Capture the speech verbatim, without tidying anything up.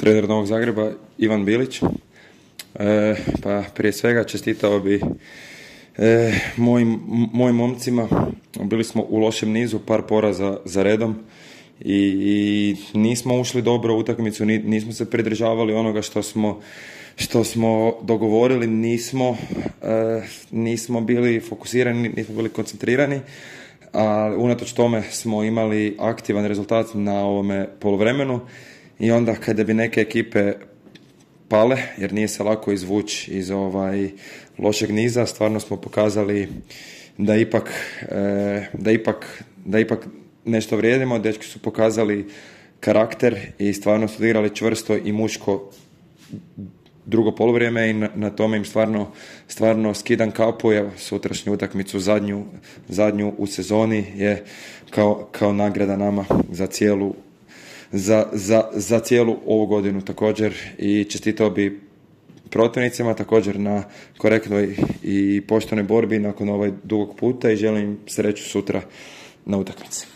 trener Novog Zagreba Ivan Bilić. E, pa prije svega čestitao bi e, mojim, mojim momcima. Bili smo u lošem nizu, par poraza za redom i, i nismo ušli dobro u utakmicu, nismo se pridržavali onoga što smo što smo dogovorili, nismo, e, nismo bili fokusirani, nismo bili koncentrirani, a unatoč tome smo imali aktivan rezultat na ovome poluvremenu i onda kada bi neke ekipe pale, jer nije se lako izvući iz ovaj lošeg niza, stvarno smo pokazali da ipak, e, da ipak, da ipak nešto vrijedimo. Dečki su pokazali karakter i stvarno su igrali čvrsto i muško drugo poluvrijeme i na, na tome im stvarno, stvarno skidam kapu. Evo, sutrašnju utakmicu, zadnju, zadnju u sezoni je kao, kao nagrada nama za cijelu, za, za, za cijelu ovu godinu također, i čestitao bi protivnicima također na korektnoj i poštenoj borbi nakon ovaj dugog puta i želim sreću sutra na utakmici.